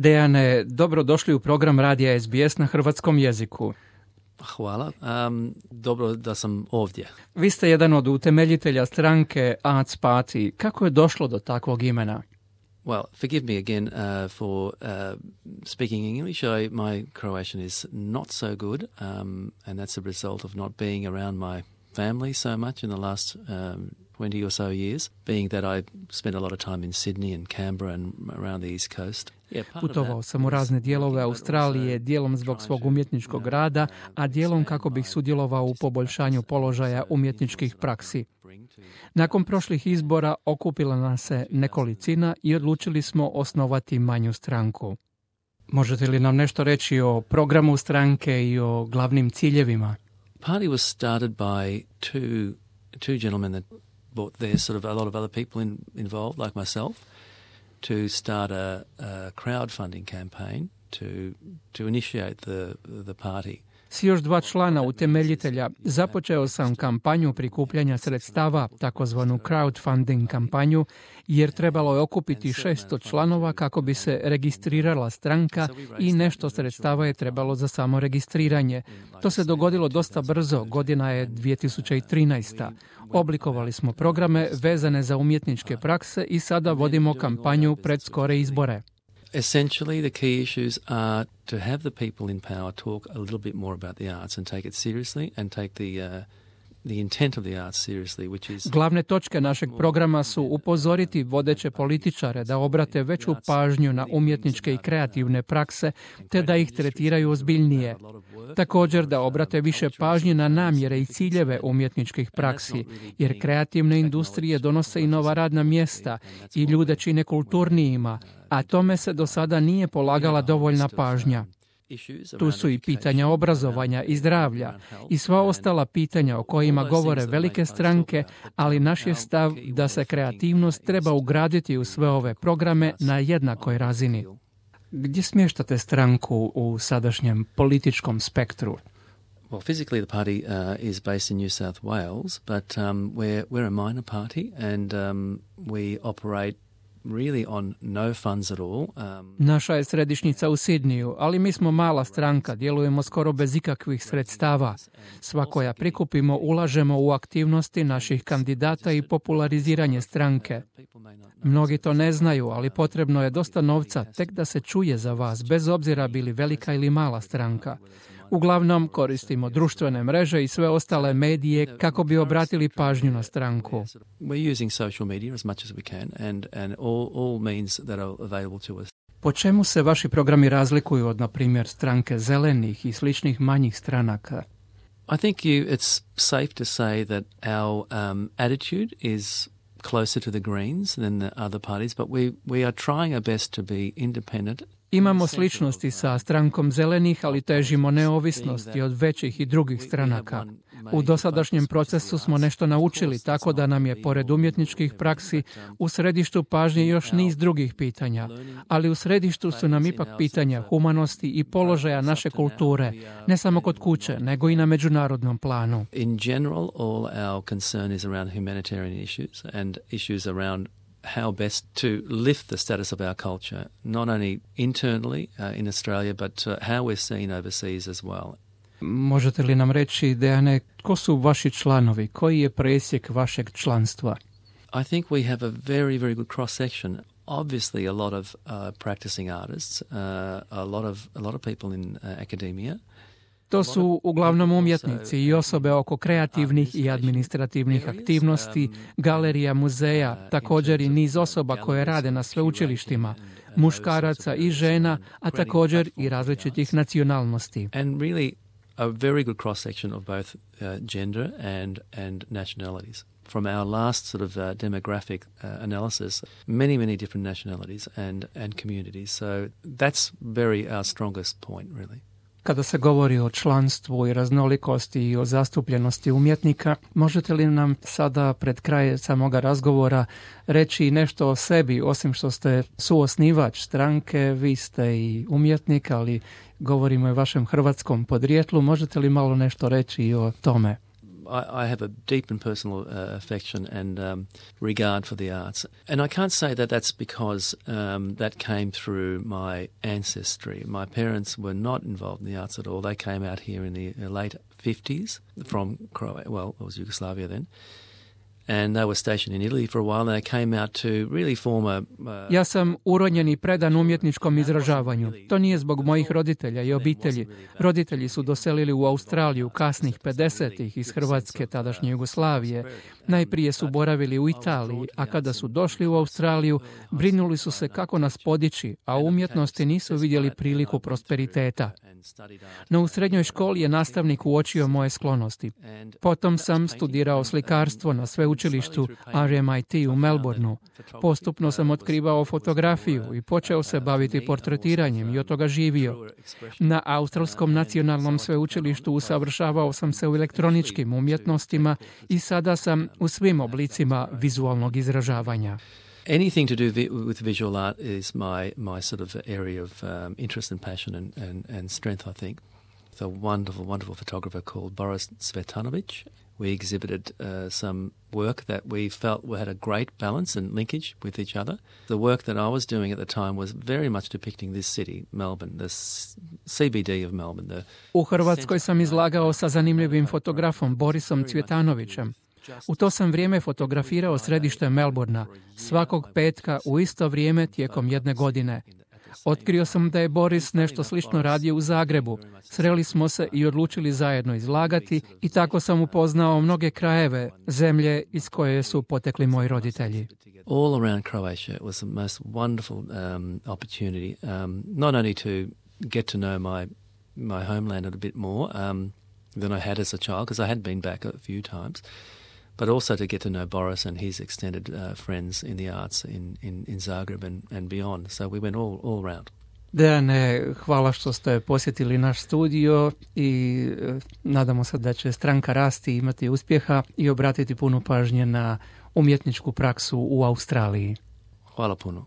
Dejane, dobrodošli u program Radija SBS na hrvatskom jeziku. Hvala. Dobro da sam ovdje. Vi ste jedan od utemeljitelja stranke Arts Party. Kako je došlo do takvog imena? Well, forgive me again for speaking English. My Croatian is not so good, and that's a result of not being around my family so much in the last 20 or so years, being that I spent a lot of time in Sydney and Canberra and around the East Coast. Putovao sam u razne dijelove Australije, dijelom zbog svog umjetničkog rada, a dijelom kako bih sudjelovao u poboljšanju položaja umjetničkih praksi. Nakon prošlih izbora okupila nas se nekolicina i odlučili smo osnovati manju stranku. Možete li nam nešto reći o programu stranke i o glavnim ciljevima? Party was started by two gentlemen that brought their sort of a lot of other people involved, like myself, to start a crowdfunding campaign to initiate the party. S još 2 člana utemeljitelja započeo sam kampanju prikupljanja sredstava, takozvanu crowdfunding kampanju, jer trebalo je okupiti 600 članova kako bi se registrirala stranka i nešto sredstava je trebalo za samo registriranje. To se dogodilo dosta brzo, godina je 2013. Oblikovali smo programe vezane za umjetničke prakse i sada vodimo kampanju pred skore izbore. Essentially, the key issues are to have the people in power talk a little bit more about the arts and take it seriously and take the intent of the arts seriously, which is... Glavne točke našeg programa su upozoriti vodeće političare da obrate veću pažnju na umjetničke i kreativne prakse, te da ih tretiraju ozbiljnije. Također da obrate više pažnje na namjere i ciljeve umjetničkih praksi, jer kreativne industrije donose i nova radna mjesta i ljude čine kulturnijima, a tome se do sada nije polagala dovoljna pažnja. Tu su i pitanja obrazovanja i zdravlja i sva ostala pitanja o kojima govore velike stranke, ali naš je stav da se kreativnost treba ugraditi u sve ove programe na jednakoj razini. Gdje smještate stranku u sadašnjem političkom spektru? Well, physically the party is based in New South Wales, but we're a minor party and we operate really on no funds at all. Naša je središnjica u Sidniju, ali mi smo mala stranka, djelujemo skoro bez ikakvih sredstava. Sva koja prikupimo ulažemo u aktivnosti naših kandidata i populariziranje stranke. Mnogi to ne znaju, ali potrebno je dosta novca tek da se čuje za vas, bez obzira bili velika ili mala stranka. Uglavnom koristimo društvene mreže i sve ostale medije kako bi obratili pažnju na stranku. We're using social media as much as we can and all means that are available to us. Po čemu se vaši programi razlikuju od, na primjer, stranke zelenih i sličnih manjih stranaka? I think it's safe to say that our attitude is closer to the Greens than the other parties, but we are trying our best to be independent. Imamo sličnosti sa strankom zelenih, ali težimo neovisnosti od većih i drugih stranaka. U dosadašnjem procesu smo nešto naučili, tako da nam je, pored umjetničkih praksi, u središtu pažnje još niz drugih pitanja, ali u središtu su nam ipak pitanja humanosti i položaja naše kulture, ne samo kod kuće, nego i na međunarodnom planu. In general, all our concern is around humanitarian issues and issues around how best to lift the status of our culture, not only internally in Australia, but how we're seen overseas as well. Možete li nam reći, Dejane, ko su vaši članovi? Koji je presjek vašeg članstva? I think we have a very, very good cross-section. Obviously a lot of practicing artists, a lot of people in academia. To su uglavnom umjetnici i osobe oko kreativnih i administrativnih aktivnosti, galerija, muzeja, također i niz osoba koje rade na sveučilištima, muškaraca i žena, a također i različitih nacionalnosti. And really a very good cross-section of both gender and nationalities. From our last sort of demographic analysis, many different nationalities and communities. So that's our strongest point, really. Kada se govori o članstvu i raznolikosti i o zastupljenosti umjetnika, možete li nam sada pred kraj samoga razgovora reći nešto o sebi, osim što ste suosnivač stranke, vi ste i umjetnik, ali govorimo i o vašem hrvatskom podrijetlu, možete li malo nešto reći i o tome? I have a deep and personal affection and regard for the arts. And I can't say that that's because that came through my ancestry. My parents were not involved in the arts at all. They came out here in the late 50s from Croatia. Well, it was Yugoslavia then. And they were stationed in Italy for a while, and they came out to really form a... Ja sam uronjen i predan umjetničkom izražavanju. To nije zbog mojih roditelja i obitelji. Roditelji su doselili u Australiju kasnih 50-ih iz Hrvatske, tadašnje Jugoslavije. Najprije su boravili u Italiji, a kada su došli u Australiju, brinuli su se kako nas podići, a u umjetnosti nisu vidjeli priliku prosperiteta. No u srednjoj školi je nastavnik uočio moje sklonosti. Potom sam studirao slikarstvo na sveučilištu RMIT u Melbourneu. Postupno sam otkrivao fotografiju i počeo se baviti portretiranjem i od toga živio. Na Australskom nacionalnom sveučilištu usavršavao sam se u elektroničkim umjetnostima i sada sam u svim oblicima vizualnog izražavanja. Anything to do with visual art is my sort of area of interest and passion and strength, I think. It's a wonderful, wonderful photographer called Boris Cvetanovic. We exhibited some work that we felt had a great balance and linkage with each other. The work that I was doing at the time was very much depicting this city, Melbourne, the CBD of Melbourne. U Hrvatskoj sam izlagao sa zanimljivim fotografom Borisom Cvjetanovićem. U to sam vrijeme fotografirao središte Melbournea, svakog petka u isto vrijeme tijekom jedne godine. Otkrio sam da je Boris nešto slično radio u Zagrebu. Sreli smo se i odlučili zajedno izlagati i tako sam upoznao mnoge krajeve, zemlje iz koje su potekli moji roditelji. All around Croatia it was the most wonderful opportunity, not only to get to know my homeland a bit more than I had as a child, because I had been back a few times, but also to get to know Boris and his extended friends in the arts in Zagreb and beyond. So we went all around. Dejane, hvala što ste posjetili naš studio i nadamo se da će stranka rasti, imati uspjeha i obratiti puno pažnje na umjetničku praksu u Australiji. Hvala puno.